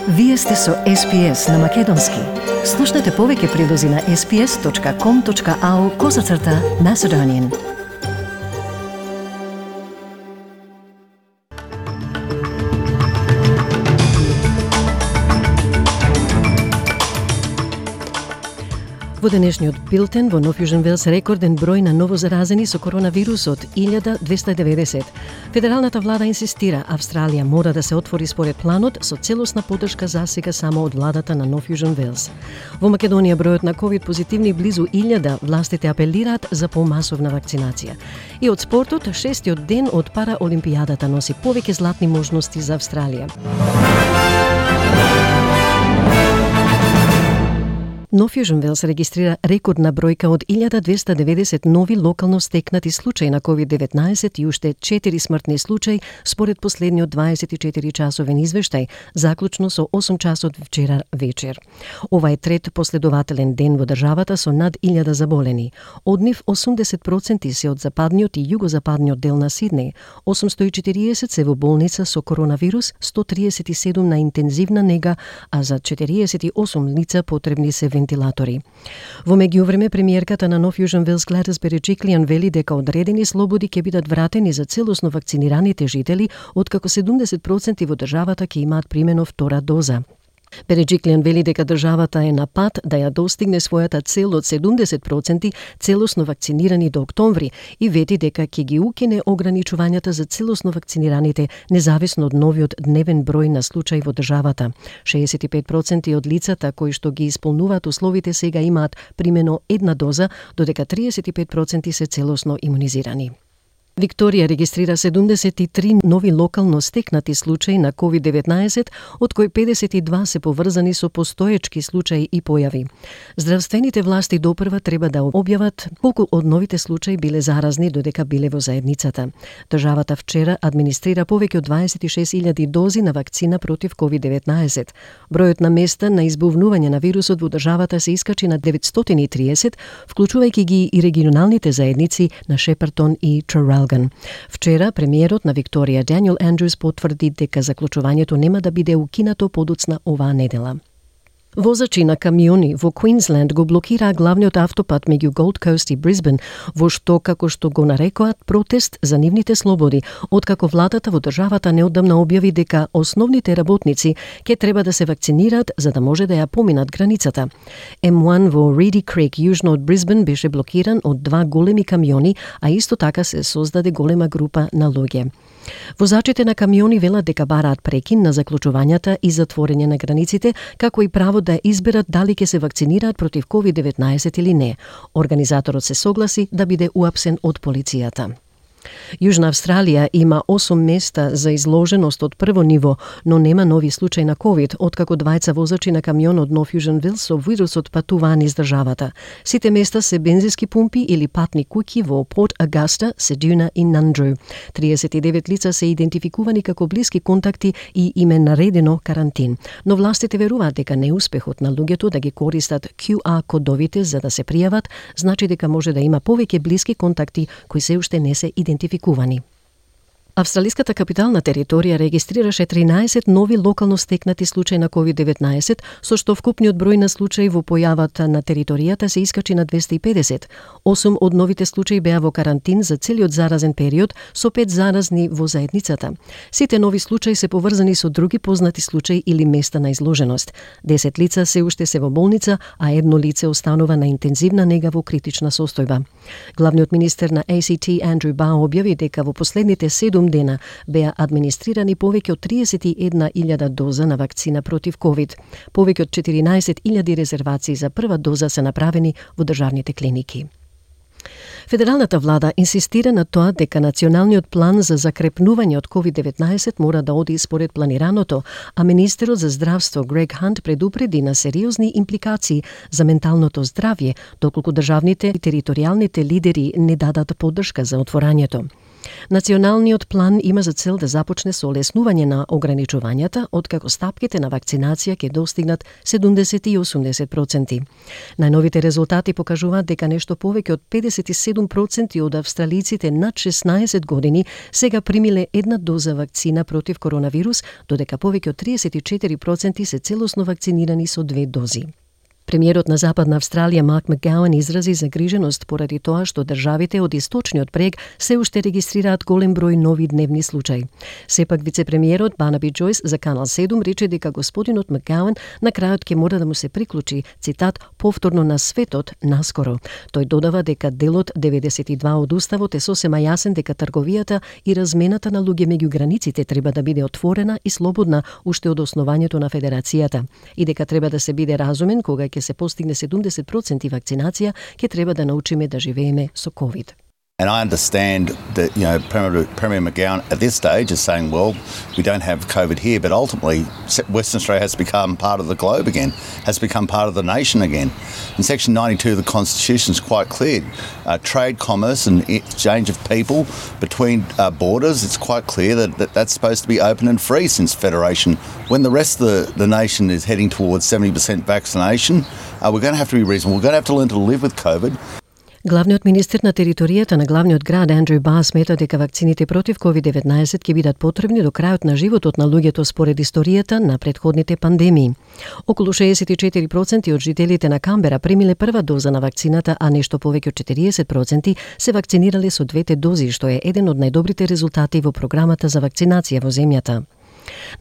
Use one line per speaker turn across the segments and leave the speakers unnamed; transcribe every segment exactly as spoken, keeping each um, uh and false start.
Вие сте со Ес Пи Ес на Македонски. Слушнете повеќе прилози на ес пи ес точка ком точка ау козацрта Macedonian. Во денешниот билтен во Нов Јужен Велс рекорден број на новозаразени со коронавирусот илјада двеста и деветдесет. Федералната влада инсистира Австралија мора да се отвори според планот со целосна поддршка засега само од владата на Нов Јужен Велс. Во Македонија бројот на ковид позитивни близу илјада, властите апелираат за помасовна вакцинација. И од спортот, шестиот ден од Параолимпијадата носи повеќе златни можности за Австралија. Нов Јужен Велс регистрира рекордна бројка од илјада двеста и деветдесет нови локално стекнати случаи на ковид деветнаесет и уште четири смртни случаи според последниот дваесет и четири часовен извештај, заклучно со осум часот вчера вечер. Ова е трет последователен ден во државата со над илјада заболени. Од нив осумдесет проценти се од западниот и југозападниот дел на Сиднеј, осумстотини и четириесет се во болница со коронавирус, сто триесет и седум на интензивна нега, а за четириесет и осум лица потребни се вентилатори. Во меѓувреме, премиерката на Нов Јужен Велс Гледис Береджиклијан вели дека одредени слободи ќе бидат вратени за целосно вакцинираните жители, откако седумдесет проценти во државата ќе имаат примено втора доза. Береджиклијан вели дека државата е на пат да ја достигне својата цел од седумдесет проценти целосно вакцинирани до октомври и вети дека ќе ги укине ограничувањата за целосно вакцинираните независно од новиот дневен број на случаи во државата. шеесет и пет проценти од лицата кои што ги исполнуваат условите сега имаат примено една доза, додека триесет и пет проценти се целосно имунизирани. Викторија регистрира седумдесет и три нови локално стекнати случаи на ковид деветнаесет, од кои педесет и два се поврзани со постоечки случаи и појави. Здравствените власти допрва треба да објават колку од новите случаи биле заразни додека биле во заедницата. Државата вчера администрира повеќе од дваесет и шест илјади дози на вакцина против ковид деветнаесет. Бројот на места на избувнување на вирусот во државата се искачи на деветстотини и триесет, вклучувајќи ги и регионалните заедници на Шепартон и Трарал. Вчера премиерот на Викторија Даниел Андрюс потврди дека заклучувањето нема да биде укинато подоцна оваа недела. Возачи на камиони во Квинсленд го блокираа главниот автопат меѓу Голд Коуст и Брисбен, во што, како што го нарекоат, протест за нивните слободи, откако владата во државата неодамна објави дека основните работници ќе треба да се вакцинираат за да може да ја поминат границата. Ем еден во Риди Крик, јужно од Брисбен, беше блокиран од два големи камиони, а исто така се создаде голема група на луѓе. Возачите на камиони велат дека бараат прекин на заклучувањата и затворење на границите, како и право да изберат дали ќе се вакцинираат против ковид деветнаесет или не. Организаторот се согласи да биде уапсен од полицијата. Јужна Австралија има осум места за изложеност од прво ниво, но нема нови случаи на ковид, откако двајца возачи на камион од Нов Јужен Велс со вирусот патуваат низ државата. Сите места се бензински пумпи или патни куќи во Порт Агаста, Седуна и Нандру. триесет и девет лица се идентификувани како блиски контакти и им е наредено карантин. Но властите веруваат дека неуспехот на луѓето да ги користат кју ар кодовите за да се пријават, значи дека може да има повеќе блиски контакти кои се уште не се идентификувани. идентификувани. Австралиската капитална територија регистрираше тринаесет нови локално стекнати случаи на ковид деветнаесет, со што вкупниот број на случаи во појавата на територијата се искачи на двеста и педесет. осум од новите случаи беа во карантин за целиот заразен период, со пет заразни во заедницата. Сите нови случаи се поврзани со други познати случаи или места на изложеност. десет лица се уште се во болница, а едно лице останува на интензивна нега во критична состојба. Главниот министер на Ей Си Ти Андрю Бао објави дека во последните седум дена беа администрирани повеќе од триесет и една илјада доза на вакцина против ковид. Повеќе од четиринаесет илјади резервации за прва доза се направени во државните клиники. Федералната влада инсистира на тоа дека националниот план за закрепнување од ковид деветнаесет мора да оди според планираното, а министерот за здравство Грег Хант предупреди на сериозни импликации за менталното здравје, доколку државните и територијалните лидери не дадат поддршка за отворањето. Националниот план има за цел да започне со олеснување на ограничувањата, откако стапките на вакцинација ќе достигнат седумдесет и осумдесет проценти. Најновите резултати покажуваат дека нешто повеќе од педесет и седум проценти од австралиците над шеснаесет години сега примиле една доза вакцина против коронавирус, додека повеќе од триесет и четири проценти се целосно вакцинирани со две дози. Премиерот на Западна Австралија Марк Макгауан изрази загриженост поради тоа што државите од источниот брег се уште регистрираат голем број нови дневни случаи. Сепак вице-премиерот Барнаби Джойс за Канал седум рече дека господинот Макгауан на крајот ќе мора да му се приклучи, цитат, повторно на светот наскоро. Тој додава дека делот деветдесет и два од уставот е сосема јасен дека трговијата и размената на луѓе меѓу границите треба да биде отворена и слободна уште од основањето на федерацијата и дека треба да се биде разумен кога ќе се постигне седумдесет проценти вакцинација, ќе треба да научиме да живееме со ковид.
And I understand that, you know, Premier, Premier McGowan at this stage is saying, well, we don't have COVID here, but ultimately Western Australia has become part of the globe again, has become part of the nation again. In Section ninety-two of the Constitution is quite clear. Uh, trade, commerce and exchange of people between uh, borders, it's quite clear that, that that's supposed to be open and free since Federation. When the rest of the, the nation is heading towards seventy percent vaccination, uh, we're going to have to be reasonable. We're going to have to learn to live with COVID.
Главниот министер на територијата на главниот град Андрю Бар смета дека вакцините против ковид деветнаесет ќе бидат потребни до крајот на животот на луѓето според историјата на претходните пандемии. Околу шеесет и четири проценти од жителите на Камбера примиле прва доза на вакцината, а нешто повеќе од четириесет проценти се вакцинирале со двете дози, што е еден од најдобрите резултати во програмата за вакцинација во земјата.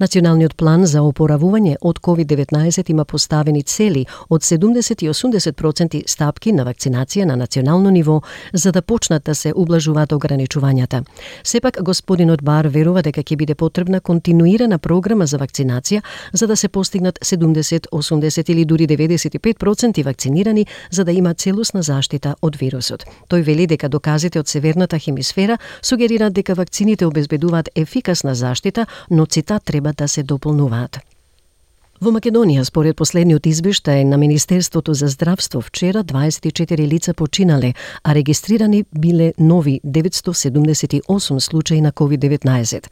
Националниот план за опоравување од ковид деветнаесет има поставени цели од седумдесет и осумдесет проценти стапки на вакцинација на национално ниво за да почнат да се ублажуваат ограничувањата. Сепак господинот Бар верува дека ќе биде потребна континуирана програма за вакцинација за да се постигнат седумдесет, осумдесет или дури деветдесет и пет проценти вакцинирани за да има целосна заштита од вирусот. Тој вели дека доказите од северната хемисфера сугерираат дека вакцините обезбедуваат ефикасна заштита, но цитат треба да се дополнуваат. Во Македонија, според последниот извештај на Министерството за здравство, вчера дваесет и четири лица починале, а регистрирани биле нови деветстотини седумдесет и осум случаи на ковид деветнаесет.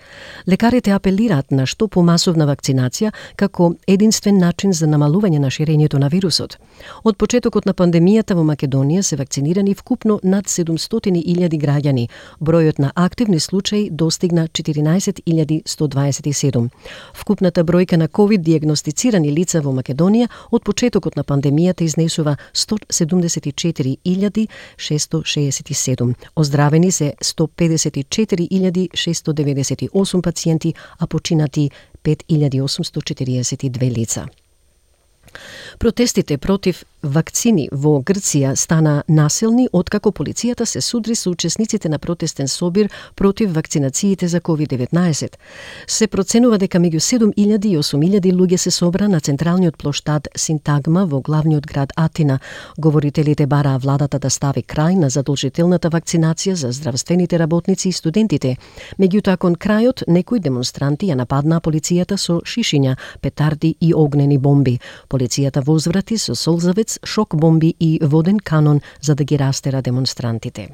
Лекарите апелираат на што помасовна вакцинација како единствен начин за намалување на ширењето на вирусот. Од почетокот на пандемијата во Македонија се вакцинирани вкупно над седумстотини илјади граѓани. Бројот на активни случаи достигна четиринаесет илјади сто дваесет и седум. Вкупната бројка на ковид диагностицирани лица во Македонија од почетокот на пандемијата изнесува сто седумдесет и четири илјади шесто шеесет и седум. Оздравени се сто педесет и четири илјади шесто деветдесет и осум пациенти, а починати пет илјади осумсто четириесет и две лица. Протестите против вакцини во Грција стана насилни откако полицијата се судри со учесниците на протестен собир против вакцинациите за ковид деветнаесет. Се проценува дека меѓу седум илјади и осум илјади луѓе се собра на централниот плоштад Синтагма во главниот град Атина. Говорителите бараа владата да стави крај на задолжителната вакцинација за здравствените работници и студентите. Меѓутоа, кон крајот некои демонстранти ја нападнаа полицијата со шишиња, петарди и огнени бомби. Полицијата возврати со солзавец, шок бомби и воден канон за да ги растера демонстрантите.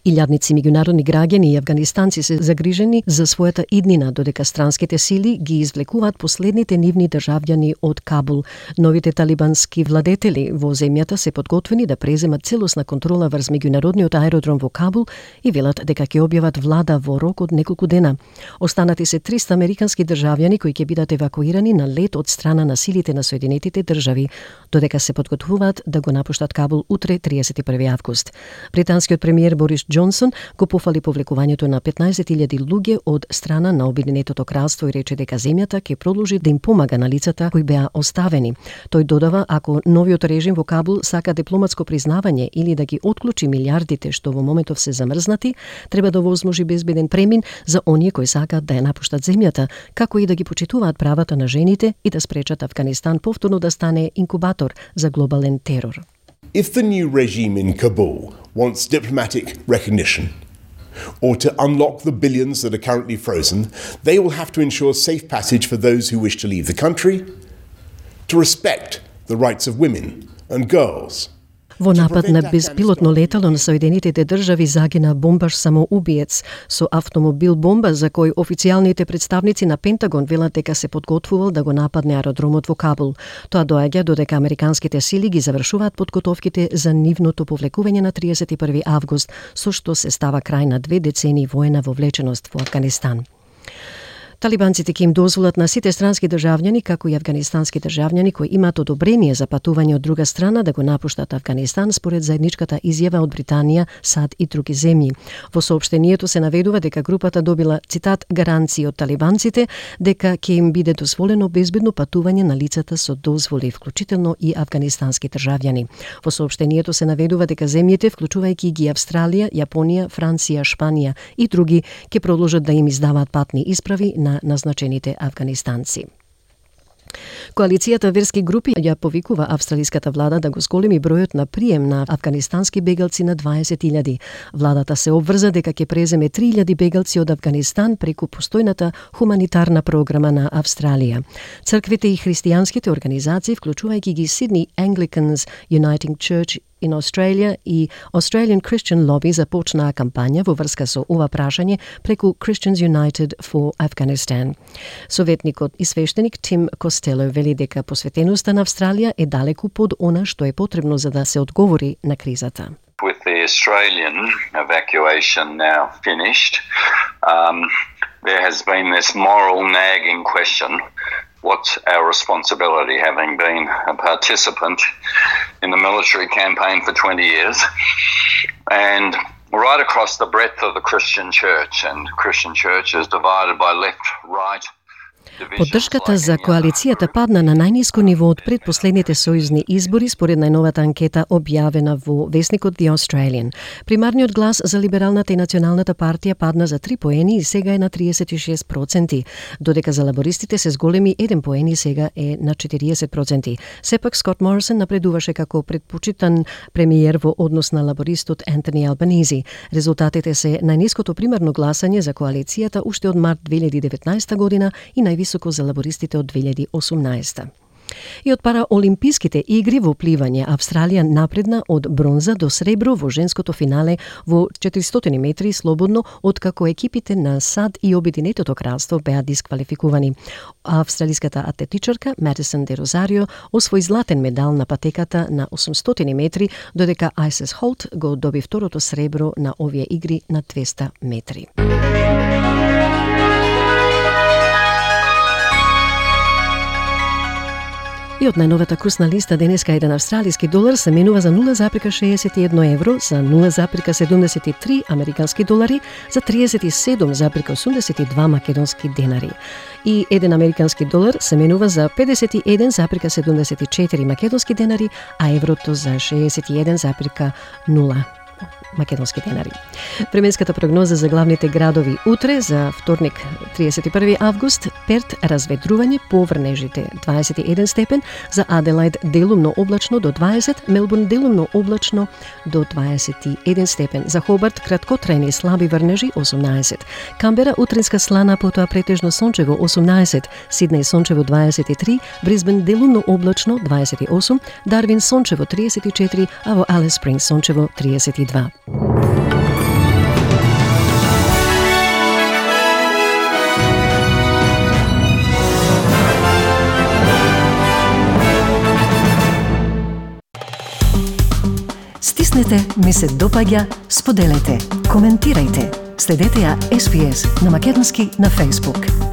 Илјадници меѓународни граѓани и афганистанци се загрижени за својата иднина, додека странските сили ги извлекуваат последните нивни државјани од Кабул. Новите талибански владетели во земјата се подготвени да преземат целосна контрола врз меѓународниот аеродром во Кабул и велат дека ќе објават влада во рок од неколку дена. Останати се триста американски државјани кои ќе бидат евакуирани на лет од страна на силите на Соединетите држави, додека се подготвуваат да го напуштат Кабул утре триесет и први август. Британскиот премиер Борис Џонсон го пофали повлекувањето на петнаесет илјади луѓе од страна на Обединетото кралство и рече дека земјата ќе продолжи да им помага на лицата кои беа оставени. Тој додава, ако новиот режим во Кабул сака дипломатско признавање или да ги отклучи милиардите што во моментов се замрзнати, треба да возможи безбеден премин за оние кои сакаат да ја напуштат земјата, како и да ги почитуваат правата на жените и да спречат Афганистан повторно да стане инкубатор за глобален терор.
If the new regime in Kabul wants diplomatic recognition or to unlock the billions that are currently frozen, they will have to ensure safe passage for those who wish to leave the country, to respect the rights of women and girls.
Во напад на безпилотно летало на Соединетите држави загина бомбаш самоубиец со автомобил бомба за кој официјалните представници на Пентагон велат дека се подготвувал да го нападне аеродромот во Кабул. Тоа доаѓа додека американските сили ги завршуваат подготовките за нивното повлекување на триесет и први август, со што се става крај на две децении воена вовлеченост во Авганистан. Талибанците ќе им дозволат на сите странски државјани, како и афганистански државјани кои имаат одобрение за патување од друга страна да го напуштат Авганистан според заедничката изјава од Британија, САД и други земји. Во соопштението се наведува дека групата добила, цитат, гаранции од талибанците дека ќе им биде дозволено безбедно патување на лицата со дозволи, вклучително и афганистански државјани. Во соопштението се наведува дека земјите, вклучувајќи ги Австралија, Јапонија, Франција, Шпанија и други, ќе продолжат да им издаваат патни исправи на назначените афганистанци. Коалицијата верски групи ја повикува австралиската влада да го зголеми бројот на прием на афганистански бегалци на дваесет илјади. Владата се обврза дека ќе преземе три илјади бегалци од Афганистан преку постојната хуманитарна програма на Австралија. Црквите и христијанските организации, вклучувајќи ги Sydney Anglicans Uniting Church in Australia и Australian Christian Lobby започнаа кампања во врска со ова прашање преку Christians United for Afghanistan. Советникот и свештеник Тим Костело вели дека посветеноста на Австралија е далеку под она што е потребно за да се одговори на кризата.
With the Australian evacuation now finished, um, there has been this moral nagging question: what's our responsibility, having been a participant in the military campaign for twenty years, and right across the breadth of the Christian church, and Christian church is divided by left, right.
Поддршката за коалицијата падна на најниско ниво од предпоследните сојузни избори според најновата анкета објавена во весникот The Australian. Примарниот глас за либералната и националната партија падна за три поени и сега е на триесет и шест проценти, додека за лабористите се зголеми еден поен и сега е на четириесет проценти. Сепак Скот Морисон напредуваше како предпочитан премиер во однос на лабористот Ентони Албанизи. Резултатите се најниското примарно гласање за коалицијата уште од март две илјади и деветнаесета година и највисоко за лабористите од две илјади и осумнаесета. И од параолимписките игри во пливање, Австралија напредна од бронза до сребро во женското финале во четиристотини метри слободно, откако екипите на САД и Обединетото кралство беа дисквалификувани. Австралиската атлетичарка Матисон де Розарио освои златен медал на патеката на осумстотини метри, додека Айсес Холт го доби второто сребро на овие игри на двеста метри. И од најновата курсна листа денеска еден австралиски долар се менува за нула зарез шеесет и едно евро, за нула зарез седумдесет и три американски долари, за триесет и седум зарез осумдесет и два македонски денари. И еден американски долар се менува за педесет и еден зарез седумдесет и четири македонски денари, а еврото за шеесет и еден зарез нула македонски денари. Временската прогноза за главните градови утре за вторник триесет и први август: Перт разведрување, поврнежите дваесет и еден степен, за Аделаид делумно облачно до дваесет, Мелбурн делумно облачно до дваесет и еден степен, за Хобарт краткотрајни слаби врнежи осумнаесет, Камбера утринска слана, потоа претежно сончево осумнаесет, Сиднеј сончево дваесет и три, Брисбен делумно облачно дваесет и осум, Дарвин сончево триесет и четири, а во Алис Спрингс сончево триесет и два. Стиснете, ми се допаѓа, споделете, коментирајте. Следете ја Ес Би Ес на македонски на Facebook.